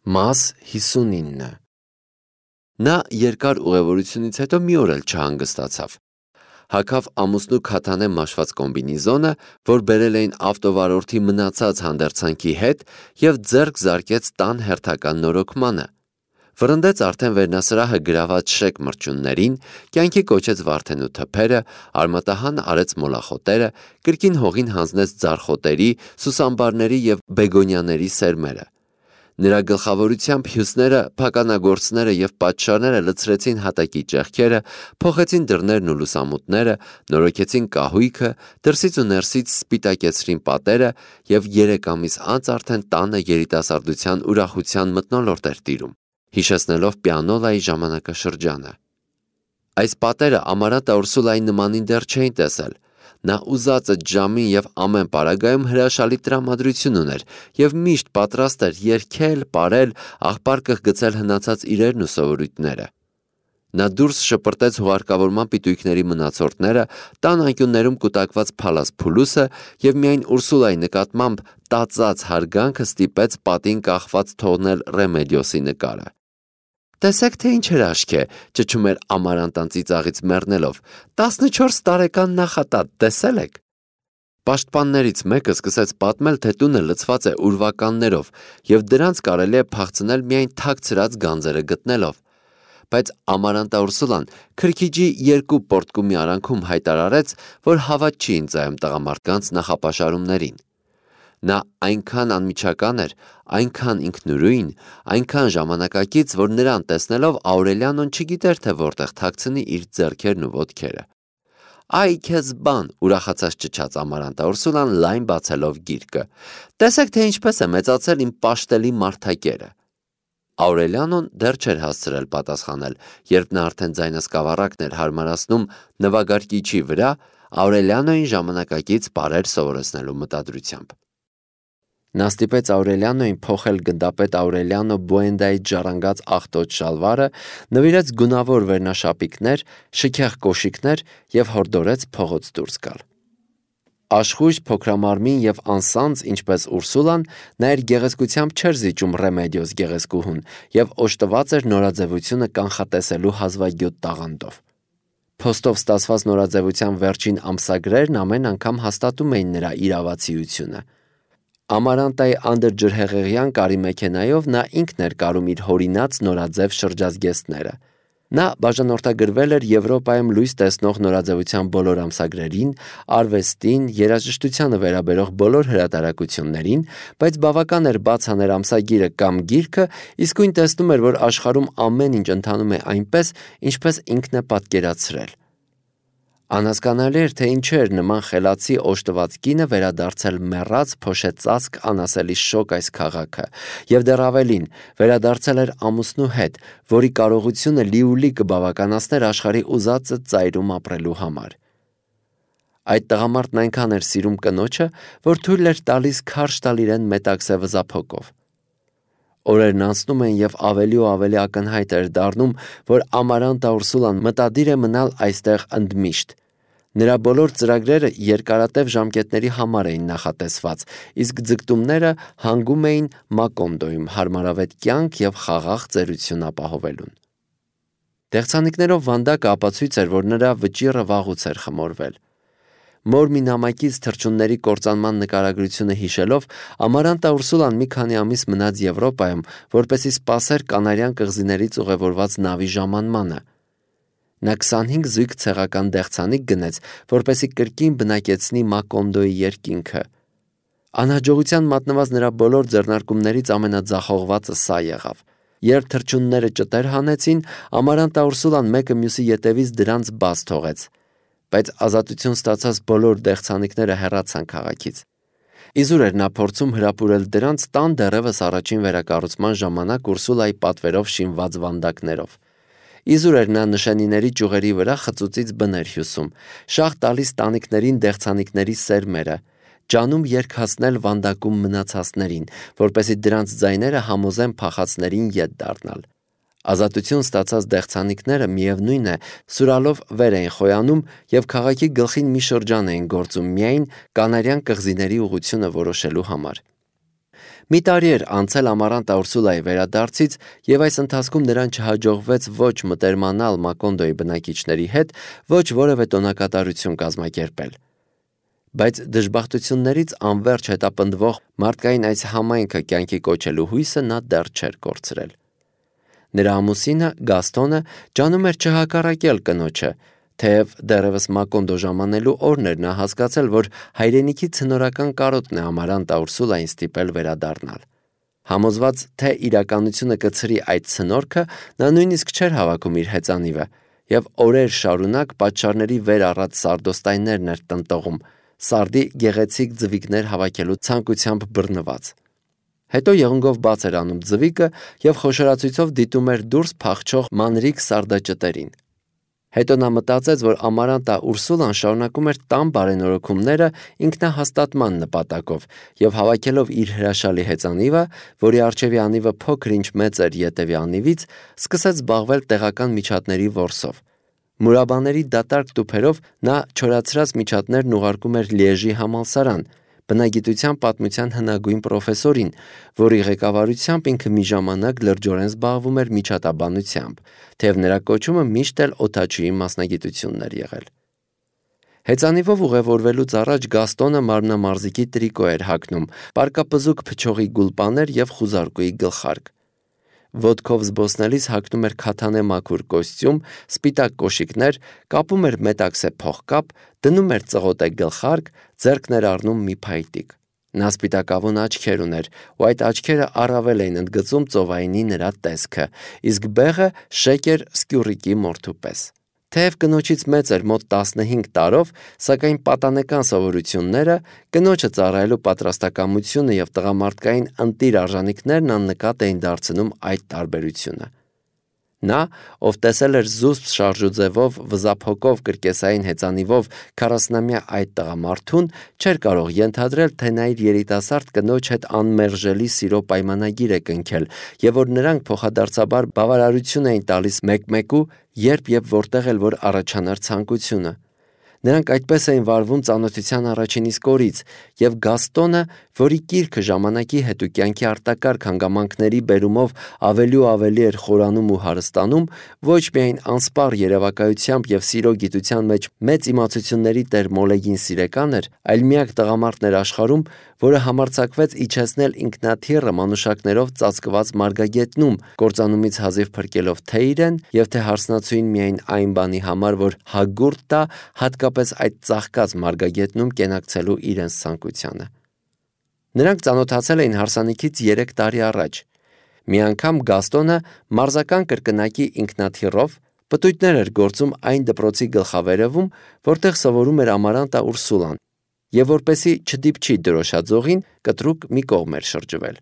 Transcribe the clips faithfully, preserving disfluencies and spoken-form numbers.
Մաս հիսունինը Նա երկար ուղևորությունից հետո մի օր էլ չհանգստացավ։ Հագավ ամուսնու քաթանե մաշված կոմբինեզոնը, որ բերել էին ավտովարորդի մնացած հանդերձանքի հետ, և ձեռք զարկեց տան հերթական նորոգմանը։ Վռնդեց արդեն վերնասրահը գրաված շեկ մրջյուններին, կյանքի կոչեց Վարդենու թփերը, արմատահան արեց մոլախոտերը, կրկին հողին հանձնեց ձարխոտերի, սուսամբարների և բեգոնիաների սերմերը։ Նրա գլխավորությամբ հյուսները, փականագործները և պատշաները լցրեցին հատակի ճեղքերը, փոխեցին դռներն ու լուսամուտները, նորոգեցին կահույքը, դրսից ու ներսից սպիտակեցրին պատերը և երեք ամիս անց արդեն տանը երիտասարդության ուրախության մթնոլորտ էր տիրում, հիշեցնելով պիանոլայի ժամանակաշրջանը։ Այս պատերը Ամարանտը Ուրսուլայի նմանին դեռ չէին տեսել։ Նա ուզածը ժամին և ամեն պարագայում հրաշալի տրամադրություն ուներ և միշտ պատրաստ էր երգել, պարել, աղբար կհգցել հնացած իրերն ու սովորույթները։ Նա դուրս շպրտեց հուղարկավորման պիտույքների մնացորդները, տան անկյուններում կուտակված փալաս փուլուսը և միայն Ուրսուլայի նկատմամբ տածած հարգանքը ստիպեց պատին կախված թողնել Ռեմեդիոսի նկարը։ «Տեսեք, թե ինչ հրաշք է», ճչում էր Ամարանտան ծիծաղից մեռնելով, «տասնչորս տարեկան նախատատ, տեսել եք»։ Պաշտպաններից մեկը սկսեց պատմել, թե տունը լցված է ուրվականներով, և դրանց կարելի է փախցնել միայն թաքցրած գանձերը գտնելով։ Բայց Ամարանտա Ուրսուլան քրքիջի երկու պոռթկու մի արանքում հայտարարեց, որ հավատ չի ընծայում տղամարդկանց նախապաշարումներին։ Նա այնքան անմիջական էր, այնքան ինքնուրույն, այնքան ժամանակակից, որ նրան տեսնելով Աուրելիանոն չգիտեր, թե որտեղ թաքցնի իր ձեռքերն ու ոտքերը։ «Այ քեզ բան», ուրախացած ճչաց Ամարանտա Ուրսուլան, լայն բացելով գիրկը, «տեսեք, թե ինչպես է մեծացել իմ պաշտելի մարդակերը»։ Աուրելիանոն դեռ չէր հասցրել պատասխանել, երբ նա արդեն ձայնասկավառակն էր հարմարացնում նվագարկիչի վրա, Աուրելիանոյին ժամանակակից բառեր սովորեցնելու մտադրությամբ։ Նա ստիպեց Աուրելիանոյին փոխել գնդապետ Աուրելիանո Բուենդայից ժառանգած աղտոտ շալվարը, նվիրեց գունավոր վերնաշապիկներ, շքեղ կոշիկներ և հորդորեց փողոց դուրս գալ։ Աշխույժ, փոքրամարմին և անսանձ, ինչպես Ուրսուլան, նա իր գեղեցկությամբ չէր զիջում Ռեմեդիոս գեղեցկուհուն և օժտված էր նորաձևությունը կանխատեսելու հազվագյուտ տաղանդով։ Փոստով ստացված նորաձևության վերջին ամսագրերն ամեն անգամ հաստատում էին նրա իրավացիությունը։ Ամարանտայի անդրջրհեղեղյան կարի մեքենայով նա ինքն էր կարում իր հորինած նորաձև շրջազգեստները։ Նա բաժանորդագրվել էր Եվրոպայում լույս տեսնող նորաձևության բոլոր ամսագրերին, արվեստին, երաժշտությանը վերաբերող բոլոր հրատարակություններին, բայց բավական էր բաց աներ ամսագիրը կամ գիրքը, իսկույն տեսնում էր, որ աշխարհում ամեն ինչ ընթանում է այնպես, ինչպես ինքն է պատկերացրել։ Անհասկանալի էր, թե ինչու էր նման խելացի օժտված կինը վերադարձել մեռած փոշեցածկ անասելի շոգ այս քաղաքը, և դեռ ավելին, վերադարձել էր ամուսնու հետ, որի կարողությունը լիուլի կբավականացներ աշխարհի ուզածը ծայրում ապրելու համար։ Այդ տղամարդն այնքան էր սիրում կնոջը, որ թույլ էր տալիս քարշ տալ իրեն մետաքսե վզափոկով։ Օրերն անցնում էին, և ավելի ու ավելի ակնհայտ էր դառնում, որ Ամարանտա Ուրսուլան մտադիր է մնալ այստեղ ընդմիշտ։ Նրա բոլոր ծրագրերը երկարատև ժամկետների համար էին նախատեսված, իսկ ձգտումները հանգում էին Մակոնդոյում հարմարավետ կյանք և խաղաղ ծերություն ապահովելուն։ Դեղցանիկներով վանդակը ապացույց էր, որ նրա վճիռը վաղուց էր խմորվել։ Մոր մի նամակից թռչունների կործանման նկարագրությունը հիշելով, Ամարանտա Ուրսուլան մի քանի ամիս մնաց Եվրոպայում, որպեսզի սպասեր Կանարյան կղզիներից ուղևորված նավի ժամանմանը։ Նա քսանհինգ զույգ ցեղական դեղցանիկ գնեց, որպեսզի կրկին բնակեցնի Մակոնդոյի երկինքը։ Անհաջողության մատնված նրա բոլոր ձեռնարկումներից ամենաձախողվածը սա եղավ։ Երբ թռչունները ճտեր հանեցին, Ամարանտա Ուրսուլան մեկը մյուսի ետևից դրանց բաց թողեց, բայց ազատություն ստացած բոլոր դեղցանիկները հեռացան քաղաքից։ Իզուր էր նա փորձում հրապուրել դրանց տան դեռևս առաջին վերակառուցման ժամանակ Ուրսուլայի պատվերով շինված վանդակներով։ Իզուր էր նա նշանիների ճյուղերի վրա խծուծից բներ հյուսում, շաղ տալիս տանիքներին դեղցանիկների սերմերը, ջանում երգացնել վանդակում մնացածներին, որպեսզի դրանց ձայները համոզեն փախածներին ետ դառնալ։ Ազատություն ստացած դեղցանիկները, միևնույն է, սուրալով վեր էին խոյանում և քաղաքի գլխին մի շրջան էին գործում միայն Կանարյան կղզիների ուղղությունը որոշելու համար։ Մի տարի էր անցել Ամարանտա Ուրսուլայի վերադարձից, եւ այս ընթացքում նրան չհաջողվեց ոչ մտերմանալ Մակոնդոյի բնակիչների հետ, ոչ որևէ տոնակատարություն կազմակերպել։ Բայց դժբախտություններից անverջ հետապնդվող մարդկային այս համայնքը կյանքի կոչելու հույսը նա դեռ չէր կորցրել։ Նրա ամուսինը Գաստոնը ջանում էր չհակառակել կնոջը, թեև դեռևս Մակոնդո ժամանելու օրն էր նա հասկացել, որ հայրենիքի ցնորական կարոտն է Ամարանտա Ուրսուլային ստիպել վերադառնալ։ Համոզված, թե իրականությունը կցրի այդ ցնորքը, նա նույնիսկ չէր հավաքում իր հեծանիվը, եւ օրեր շարունակ պատշարների վեր առած սարդոստայներն էր տնտողում, սարդի գեղեցիկ ձվիկներ հավաքելու ցանկությամբ բռնված։ Հետո եղունգով բաց էր անում ձվիկը եւ խոշորացույցով դիտում էր դուրս փախչող մանրիկ սարդաճտերին։ Հետո նա մտածեց, որ Ամարանտա Ուրսուլան շարունակում էր տան բարենորոգումները ինքնահաստատման նպատակով եւ հավաքելով իր հրաշալի հեծանիվը, որի առջևի անիվը փոքր-ինչ մեծ էր ետևի անիվից, սկսեց զբաղվել տեղական միջատների որսով։ Մուրաբաների դատարկ տուփերով նա չորացրած միջատներն ուղարկում էր Լիեժի համալսարան, բնագիտության պատմության հնագույն պրոֆեսորին, որի ղեկավարությամբ ինքը մի ժամանակ լրջորեն զբաղվում էր միջատաբանությամբ, թեև նրա կոչումը միշտ էլ օդաչուի մասնագիտությունն էր եղել։ Հեծանիվով ուղևորվելուց առաջ Գաստոնը մարմնամարզիկի տրիկո էր հագնում, պարկապզուկ փչողի գուլպաներ եւ խուզարկուի գլխարկ։ Ոտքով զբոսնելիս հագնում էր քաթանե մաքուր կոստյում, սպիտակ կոշիկներ, կապում էր մետաքսե փողկապ, դնում էր ծղոտե գլխարկ, ձեռքն էր առնում մի փայտիկ։ Նա սպիտակավուն աչքեր ուներ, ու այդ աչքերը առավել էին ընդգծում ծովայինի նրա տեսքը, իսկ բեղը շեկեր սկյուռիկի մորթու պես։ Թեև կնոջից մեծ էր մոտ տասնհինգ տարով, սակայն պատանեկան սովորությունները, կնոջը ծառայելու պատրաստակամությունը եւ տղամարդկային ընտիր արժանինքներն աննկատ էին դարձնում այդ տարբերությունը։ Նա, ով տեսել էր զուսպ շարժուձևով, վզափոկով կրկեսային հեծանիվով քառասնամյա այդ տղամարդուն, չէր կարող ենթադրել, թե նա իր երիտասարդ կնոջ հետ անմերժելի սիրո պայմանագիր է կնքել, եւ որ նրանք փոխադարձաբար բավարարություն էին տալիս մեկ-մեկու, երբ եւ որտեղ էլ որ առաջանար ցանկությունը։ Նրանք այդպես էին վարվում ծանոթության առաջին իսկ օրից, եւ Գաստոնը, որի կիրքը ժամանակի հետ ու կյանքի արտակարգ հանգամանքների բերումով ավելի ու ավելի էր խորանում ու հարստանում, ոչ միայն անսպառ երևակայությամբ եւ սիրո գիտության մեջ մեծ իմացությունների տեր մոլեգին սիրեկան էր, այլ միակ տղամարդն էր աշխարհում, որը համարձակվեց իջեցնել ինքնաթիռը մանուշակներով ծածկված մարգագետնում, կործանումից հազիվ փրկելով թե իրեն եւ թե հարսնացուին միայն այն բանի համար, որ հագուրդ տա հատկապես այդ ծաղկած մարգագետնում կենակցելու իրենց ցանկությանը։ Նրանք ծանոթացել էին հարսանիքից երեք տարի առաջ։ Մի անգամ Գաստոնը մարզական կրկնակի ինքնաթիռով պտույտներ էր գործում այն դպրոցի գլխավերևում, որտեղ սովորում էր Ամարանտա Ուրսուլան, եւ որպեսի չդիպչի դրոշաձողին, կտրուկ մի կողմ էր շրջվել։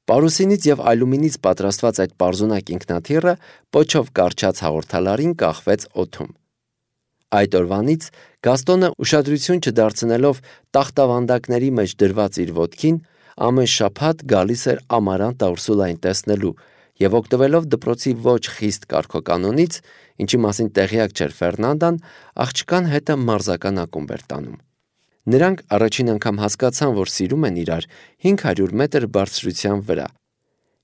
Պարուսինից եւ ալյումինից պատրաստված այդ պարզունակ ինքնաթիռը պոչով կարճած հաղորդալարին կախվեց օդում։ Այդ օրվանից Գաստոնը ուշադրություն չդարձնելով տախտավանդակների մեջ դրված իր ոտքին, ամեն շաբաթ գալիս էր Ամարանտա Ուրսուլային տեսնելու եւ օգտվելով դպրոցի ոչ խիստ կարգոկանոնից, ինչի մասին տեղյակ չէր Ֆերնանդան, աղջկան հետը մարզական ակումբ էր տանում։ Նրանք առաջին անգամ հասկացան, որ սիրում են իրար հինգ հարյուր մետր բարձրության վրա։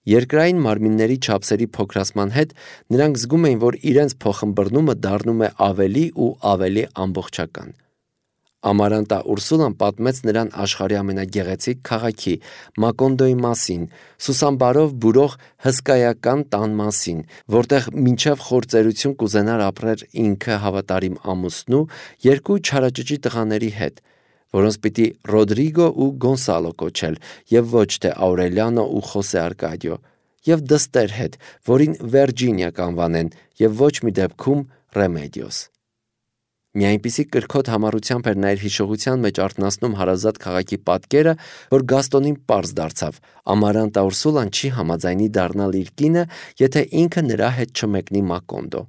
Երկրային մարմինների չափսերի փոքրացման հետ նրանք զգում էին, որ իրենց փոխըմբռնումը դառնում է ավելի ու ավելի ամբողջական։ Ամարանտա Ուրսուլան պատմեց նրան աշխարհի ամենագեղեցիկ քաղաքի Մակոնդոյի մասին, Սուսամբարով բուրող հսկայական տան մասին, որտեղ մինչև խործերություն կուզենար ապրեր ինքը հավատարիմ ամուսնու երկու չարաճճի տղաների հետ, որոնց պիտի Ռոդրիգո ու Գոնսալո կոչել, եւ ոչ թե Աուրելիանո ու Խոսե Արկադիո, եւ դստեր հետ, որին Վերջինիա կանվանեն, եւ ոչ մի դեպքում Ռեմեդիոս։ Մի այնպիսի կրքոտ համառությամբ էր նա իր հիշողության մեջ արթնացնում հարազատ քաղաքի պատկերը, որ Գաստոնին պարզ դարձավ. Ամարանտա Ուրսուլան չի համաձայնի դառնալ իր կինը, եթե ինքը նրա հետ չմեկնի Մակոնդո։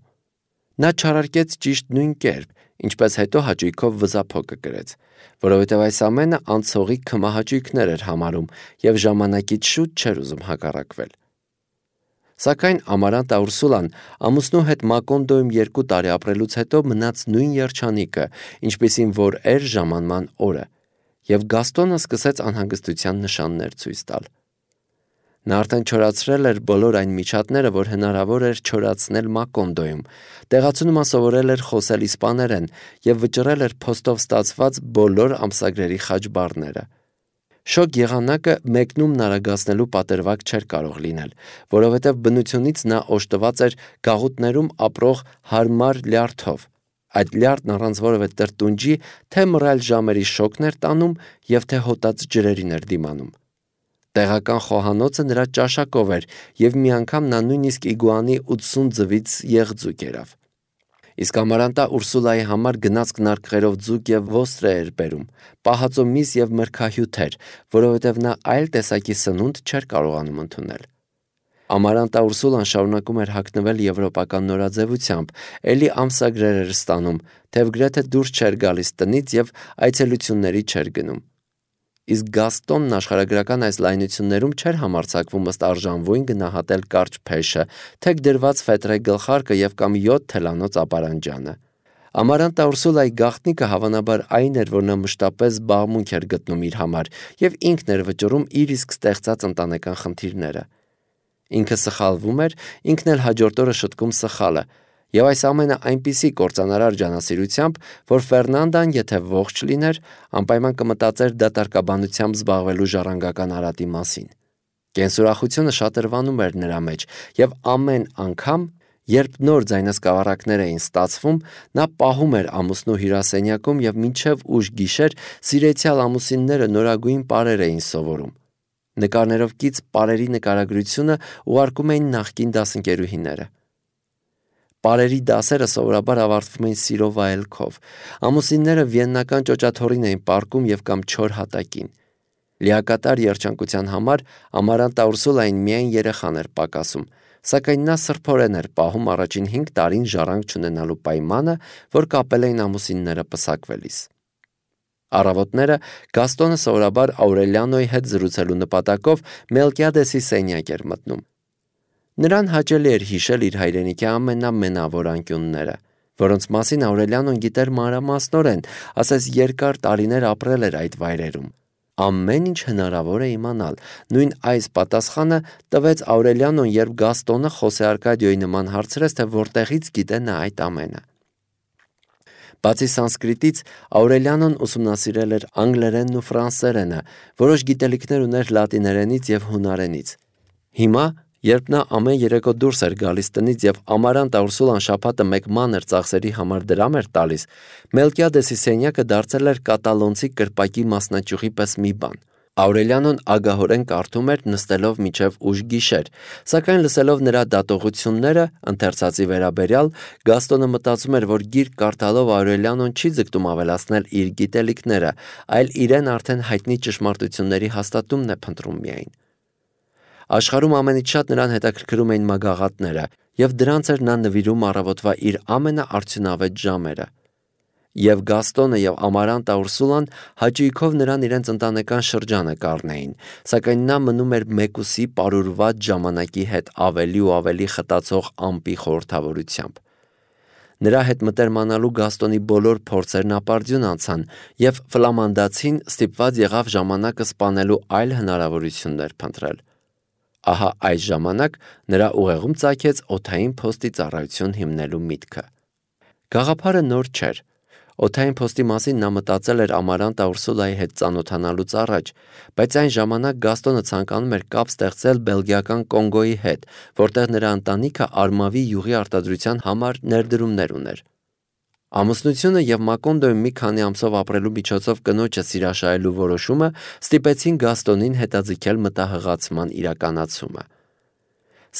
Նա չարարկեց ճիշտ նույն կերպ, ինչպես հետո հաճույքով վզափոկը կրեց, որովհետև այս ամենը անցողի քմահաճույքներ էր համարում եւ ժամանակից շուտ չէր ուզում հակառակվել։ Սակայն Ամարանտա Ուրսուլան ամուսնու հետ Մակոնդոյում երկու տարի ապրելուց հետո մնաց նույն երջանիկը, ինչպիսին որ էր ժամանման օրը, եւ Գաստոնը սկսեց անհանգստության նշաններ ցույց տալ։ Նա արդեն չորացրել էր բոլոր այն միջատները, որ հնարավոր էր չորացնել Մակոնդոյում, տեղացունում սովորել էր խոսել իսպաներեն եւ վճռել էր փոստով ստացված բոլոր ամսագրերի խաչբառները։ Շոկ եղանակը մեկնում նարագացնելու պատրվակ չէր կարող լինել, որովհետև բնությունից նա օժտված էր գաղութներում ապրող հարմար լյարդով։ Այդ լյարդն առանց որևէ տրտունջի թե մռայլ ժամերի շոկն էր տանում եւ թե հոտած ջրերին էր դիմանում։ Տեղական խոհանոցը նրա ճաշակով էր եւ մի անգամ նա նույնիսկ իգուանի ութսուն ձվից եղձուկ երավ։ Իսկ Ամարանտա Ուրսուլայի համար գնացք նարկղերով ձուկ եւ ոստրե էր բերում, պահածո միս եւ մրգահյութեր, որովհետեւ նա այլ տեսակի սնունդ չէր կարողանում ընդունել։ Ամարանտա Ուրսուլան շարունակում էր հագնվել եվրոպական նորաձևությամբ, էլի ամսագրեր էր ստանում, թեև գրեթե դուրս չէր գալիս տնից եւ այցելությունների չէր գնում։ Իսկ Գաստոնն աշխարհագրական այս լայնություններում չէր համարձակվում ըստ արժանվույն գնահատել կարճ փեշը, թեք դրված ֆետրե գլխարկը եւ կամ յոթ թելանոց ապարանջանը։ Ամարանտա Ուրսուլայի գաղտնիքը հավանաբար այն էր, որ նա մշտապես զբաղմունք էր գտնում իր համար եւ ինքն էր վճռում իր իսկ ստեղծած ընտանեկան խնդիրները։ Ինքը սխալվում էր, ինքն էլ հաջորդ օրը շտկում սխալը, եւ այս ամենը այնպիսի կործանարար ջանասիրությամբ, որ Ֆերնանդան, եթե ողջ լիներ, անպայման կմտածեր դատարկաբանությամբ զբաղվելու ժառանգական արատի մասին։ Կենսուրախությունը շատրվանում էր նրա մեջ, եւ ամեն անգամ, երբ նոր ձայնասկավառակներ էին ստացվում, նա պահում էր ամուսնու հյուրասենյակում եւ մինչեւ ուշ գիշեր սիրեցյալ ամուսինները նորագույն պարեր էին սովորում։ Նկարներով կից պարերի նկարագրությունը ուղարկում էին նախկին դասընկերուհիները։ Պարերի դասերը սովորաբար ավարտվում էին սիրո վայելքով։ Ամուսինները վիեննական ճոճաթոռին էին պառկում եւ կամ չոր հատակին։ Լիակատար երջանկության համար Ամարանտա Ուրսուլային միայն երեխան էր պակասում, սակայն նա սրբորեն էր պահում առաջին հինգ տարին ժառանգ չունենալու պայմանը, որ կապել էին ամուսինները պսակվելիս։ Առավոտները Գաստոնը սովորաբար Աուրելիանոյի հետ զրուցելու նպատակով Մելկիադեսի սենյակ էր մտնում։ Նրան հաճելի էր հիշել իր հայրենիքի ամենամենավոր անկյունները, որոնց մասին Աուրելիանոն գիտեր մանրամասնորեն, ասես երկար տարիներ ապրել էր այդ վայրերում։ Ամեն ինչ հնարավոր է իմանալ։ Նույն այս պատասխանը տվեց Աուրելիանոն, երբ Գաստոնը Խոսե Արկադիոյի նման հարցրեց, թե որտեղից գիտե նա այդ ամենը։ Բացի սանսկրիտից, Աուրելիանոն ուսումնասիրել էր անգլերենն ու ֆրանսերենը, որոշ գիտելիքներ ուներ լատիներենից եւ հունարենից։ Հիմա, երբ նա ամեն երեկո դուրս էր գալիս տնից եւ Ամարանտա Ուրսուլան շաբաթը մեկ մանր ծախսերի համար դրամ էր տալիս, Մելկիադեսի սենյակը դարձել էր կատալոնցի կրպակի մասնաճյուղի պես մի բան։ Աուրելիանոն ագահորեն կարդում էր նստելով մինչև ուշ գիշեր, սակայն լսելով նրա դատողությունները ընթերցածի վերաբերյալ, Գաստոնը մտածում էր, որ գիրք կարդալով Աուրելիանոն չի ձգտում ավելացնել իր գիտելիքները, այլ իրեն արդեն հայտնի ճշմարտությունների հաստատումն է փնտրում միայն։ Աշխարհում ամենից շատ նրան հետաքրքրում էին մագաղատները, եւ դրանց էր նա նվիրում առավոտվա իր ամենաարդյունավետ ժամերը։ Եվ Գաստոնը եւ Ամարանտա Ուրսուլան հաճույքով նրան իրենց ընտանեկան շրջանը կառնեին, սակայն նա մնում էր մեկուսի պարուրված ժամանակի հետ ավելի ու ավելի խտացող ամպի խորհրդավորությամբ։ Նրա հետ մտերմանալու Գաստոնի բոլոր փորձերն ապարդյուն անցան, եւ ֆլամանդացին ստիպված եղավ ժամանակը սպանելու այլ հնարավորություններ փնտրել։ Ահա այս ժամանակ նրա ուղեղում ծագեց օդային փոստի ծառայություն հիմնելու միտքը։ Գաղափարը նոր չէր։ Օդային փոստի մասին նա մտածել էր Ամարանտա Ուրսուլայի հետ ծանոթանալուց առաջ, բայց այն ժամանակ Գաստոնը ցանկանում էր կապ ստեղծել բելգիական Կոնգոյի հետ, որտեղ նրա ընտանիքը Արմավի յուղի արտադրության համար ներդրումներ ուներ։ Ամուսնությունը եւ Մակոնդոյում մի քանի ամսով ապրելու միջոցով կնոջը սիրաշահելու որոշումը ստիպեցին Գաստոնին հետաձգել մտահղացման իրականացումը։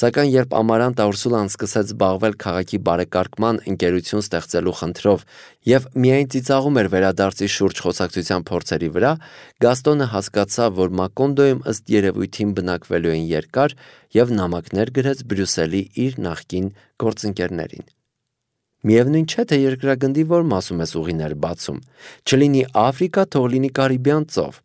Սակայն երբ Ամարանտա Ուրսուլան սկսեց զբաղվել քաղաքի բարեկարգման ընկերություն ստեղծելու խնդրով եւ միայն ծիծաղում էր վերադարձի շուրջ խոսակցության փորձերի վրա, Գաստոնը հասկացավ, որ Մակոնդոյում ըստ երևույթին բնակվելու են երկար եւ նամակներ գրեց Բրյուսելի իր նախկին գործընկերներին։ Միևնույն չէ, թե երկրագնդի որ մասում ես ուղիներ բացում, չլինի Աֆրիկա, թող լինի Կարիբյան ծով։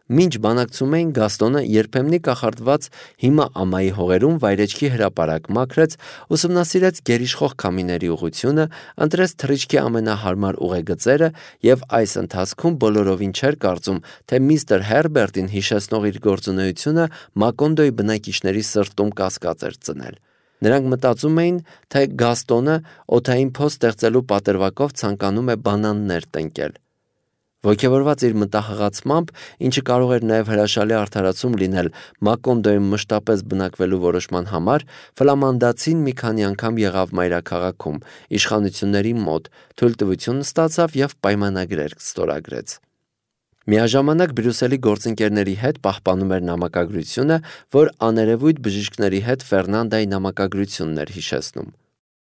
Մինչ բանակցում էին, Գաստոնը երբեմնի կախարդված հիմա ամայի հողերում վայրեջքի հրապարակ մաքրեց, ուսումնասիրեց գերիշխող քամիների ուղղությունը, ընտրեց թռիչքի ամենահարմար ուղեգծերը եւ այս ընթացքում բոլորովին չէր կարծում, թե միստր Հերբերտին հիշեցնող իր գործունեությունը Մակոնդոյի բնակիչների սրտում կասկած էր ծնել։ Նրանք մտածում էին, թե Գաստոնը օդային փոս ստեղծելու պատրվակով ցանկանում է բանաններ տնկել։ Ոգևորված իր մտահղացմամբ, ինչը կարող էր նաև հրաշալի արդարացում լինել Մակոնդոյում մշտապես բնակվելու որոշման համար, ֆլամանդացին մի քանի անգամ եղավ մայրաքաղաքում, իշխանությունների մոտ, թույլտվություն ստացավ եւ պայմանագրեր ստորագրեց։ Միաժամանակ Բրյուսելի գործընկերների հետ պահպանում էր նամակագրությունը, որ աներևույթ բժիշկների հետ Ֆերնանդայի նամակագրությունն էր հիշեցնում։